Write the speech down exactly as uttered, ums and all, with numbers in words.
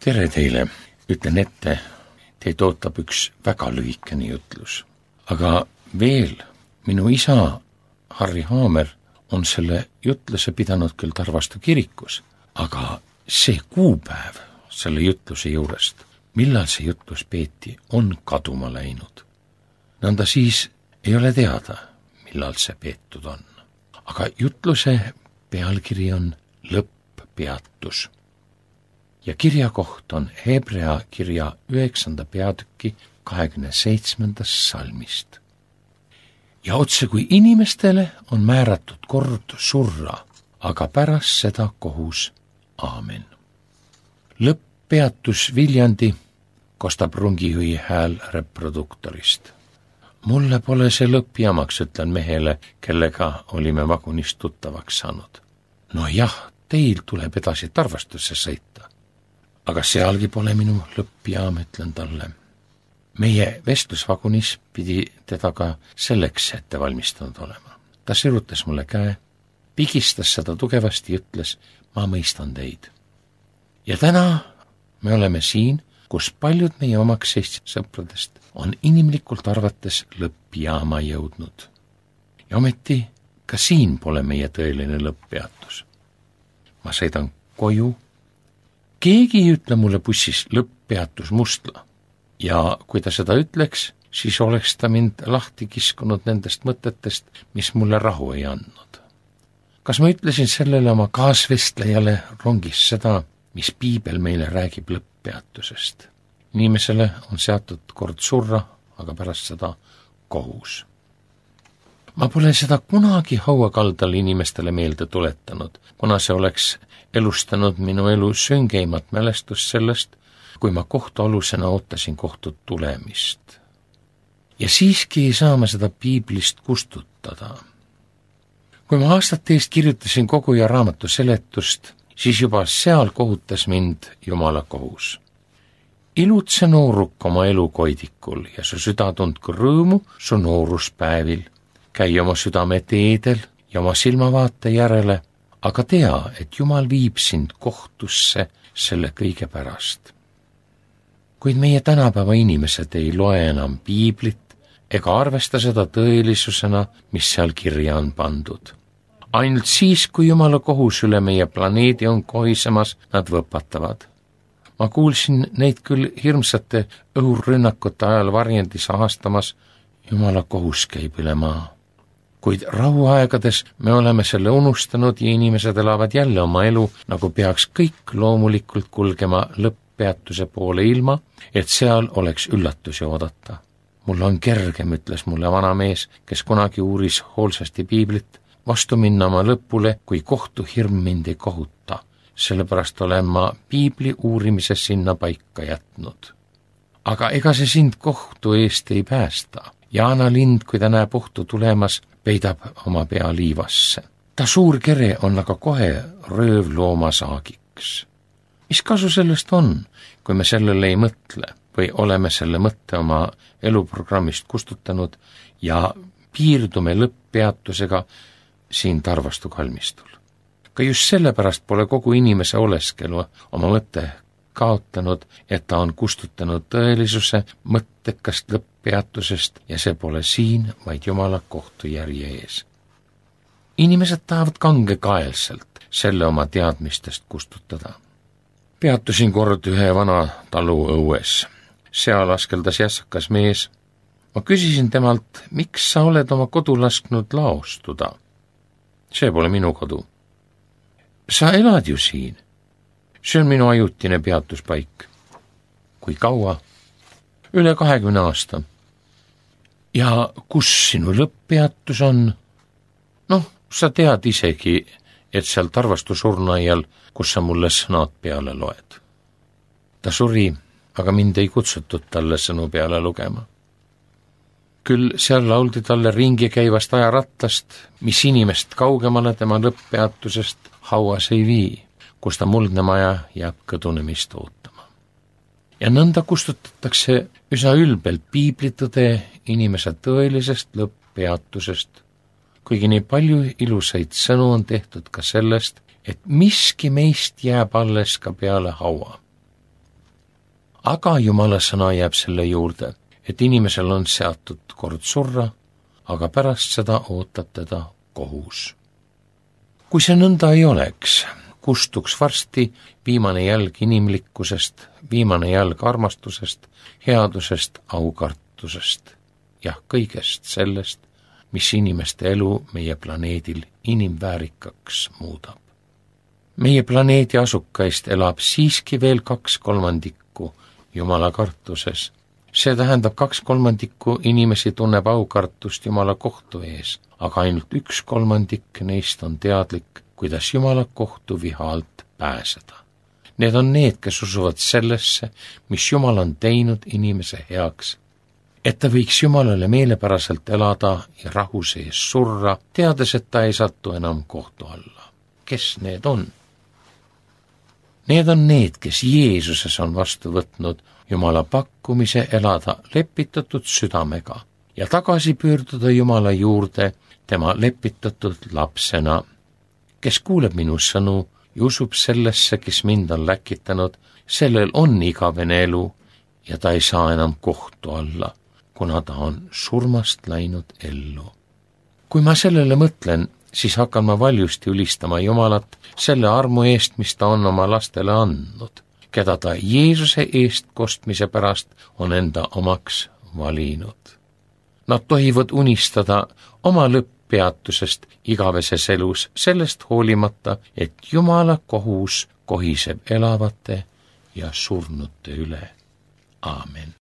tere teile, ütlen ette, teid ootab üks väga lühikene jutlus. Aga veel, minu isa Harri Haamer on selle jutluse pidanud küll Tarvastu kirikus, aga see kuupäev selle jutluse juurest, millal see jutlus peeti, on kaduma läinud. Nõnda siis ei ole teada, millal see peetud on. Aga jutluse pealkiri on lõpppeatus. Ja kirja koht on Hebrea kirja üheksanda peatüki kahekümne seitsmendast salmist. Ja otse kui inimestele on määratud kord surra, aga pärast seda kohus. Aamen. Lõpppeatus Viljandi, kostab Rungijõi hääl reproduktorist. Mulle pole see lõppjamaks, ütlen mehele, kellega olime vagunist tuttavaks saanud. No jah, teil tuleb edasi Tarvastusse sõita. Aga sealgi pole minu lõppjaam, ütlen talle. Meie vestlusvagunis pidi teda ka selleks ette valmistanud olema. Ta sirutas mulle käe, pigistas seda tugevasti ja ütles, ma mõistan teid. Ja täna me oleme siin, kus paljud meie omaks Eesti sõpradest on inimlikult arvates lõppjaama jõudnud. Ja ometi ka siin pole meie tõeline lõpppeatus. Ma sõidan koju. Keegi ei ütle mulle bussis lõpppeatus Mustla ja kui ta seda ütleks, siis oleks ta mind lahti kiskunud nendest mõtetest, mis mulle rahu ei andnud. Kas ma ütlesin sellele oma kaasvestlejale rongis seda, mis piibel meile räägib lõpppeatusest? Inimesele on seatud kord surra, aga pärast seda kohus. Ma pole seda kunagi hauakaldal inimestele meelde tuletanud, kuna see oleks elustanud minu elu süngeimat mälestust sellest, kui ma kohtualusena ootasin kohtut tulemist. Ja siiski ei saa ma seda piiblist kustutada. Kui ma aastate eest kirjutasin kogu ja raamatu seletust, siis juba seal kohutas mind Jumala kohus. Ilutse nooruk oma elukoidikul ja su süda tundku rõõmu su nooruspäevil. Käi oma südame teedel ja oma silmavaate järele, aga tea, et Jumal viib sind kohtusse selle kõige pärast. Kuid meie tänapäeva inimesed ei loe enam piiblit ega arvesta seda tõelisusena, mis seal kirja on pandud. Ainult siis, kui Jumala kohus üle meie planeedi on kohisemas, nad võpatavad. Ma kuulsin neid küll hirmsate õhurünnakute ajal varjendis ahastamas, Jumala kohus käib üle maa. Kuid rahuaegades me oleme selle unustanud ja inimesed elavad jälle oma elu, nagu peaks kõik loomulikult kulgema lõpppeatuse poole ilma, et seal oleks üllatusi oodata. Mul on kergem, ütles mulle vanamees, kes kunagi uuris hoolsasti piiblit, vastu minna oma lõpule, kui kohtuhirm mind ei kohuta. Sellepärast olen ma piibli uurimise sinna paika jätnud. Aga ega see sind kohtu eest ei päästa. Jaana lind, kui ta näeb ohtu tulemas, peidab oma pea liivasse. Ta suur kere on aga kohe röövlooma saagiks. Mis kasu sellest on, kui me sellele ei mõtle või oleme selle mõtte oma eluprogrammist kustutanud ja piirdume lõpppeatusega siin Tarvastu kalmistul? Ka just sellepärast pole kogu inimese oleskelu oma mõtte kaotanud, et ta on kustutanud tõelisuse mõttekast lõpppeatusest ja see pole siin, vaid Jumala kohtujärje ees. Inimesed tahavad kangekaelselt selle oma teadmistest kustutada. Peatusin kord ühe vana talu õues. Seal askeldas jässakas mees. Ma küsisin temalt, miks sa oled oma kodu lasknud laostuda? See pole minu kodu. Sa elad ju siin. See on minu ajutine peatuspaik. Kui kaua? Üle kahekümne aasta. Ja kus sinu lõpppeatus on? Noh, sa tead isegi, et seal Tarvastu surnaial, kus sa mulle sõnad peale loed. Ta suri, aga mind ei kutsutud talle sõnu peale lugema. Küll seal lauldi talle ringi käivast ajarattast, mis inimest kaugemale tema lõpppeatusest hauas ei vii, kus ta muldne maja jääb kõdunemist ootama. Ja nõnda kustutatakse üsna ülbelt piiblitõde inimese tõelisest lõpppeatusest, kuigi nii palju ilusaid sõnu on tehtud ka sellest, et miski meist jääb alles ka peale haua. aga Jumala sõna jääb selle juurde, et inimesel on seatud kord surra, aga pärast seda ootab teda kohus. Kui see nõnda ei oleks, kustuks varsti viimane jälg inimlikkusest, viimane jälg armastusest, headusest, aukartusest ja kõigest sellest, mis inimeste elu meie planeedil inimväärikaks muudab. Meie planeedi asukaist elab siiski veel kaks kolmandikku Jumala kartuses. See tähendab, kaks kolmandikku inimesi tunneb aukartust Jumala kohtu ees, aga ainult üks kolmandik neist on teadlik, kuidas Jumala kohtu viha alt pääseda. Need on need, kes usuvad sellesse, mis Jumal on teinud inimese heaks, et ta võiks Jumalale meelepäraselt elada ja rahu sees surra, teades, et ta ei satu enam kohtu alla. Kes need on? Need on need, kes Jeesuses on vastu võtnud Jumala pakkumise elada lepitatud südamega ja tagasi pöörduda Jumala juurde tema lepitatud lapsena, kes kuuleb minu sõnu ja usub sellesse, kes mind on läkitanud, sellel on igavene elu ja ta ei saa enam kohtu alla, kuna ta on surmast läinud ellu. Kui ma sellele mõtlen, siis hakkan ma valjusti ülistama Jumalat selle armu eest, mis ta on oma lastele andnud, keda ta Jeesuse eest kostmise pärast on enda omaks valinud. Nad tohivad unistada oma lõpppeatusest igaveses elus, sellest hoolimata, et Jumala kohus kohiseb elavate ja surnute üle. Aamen.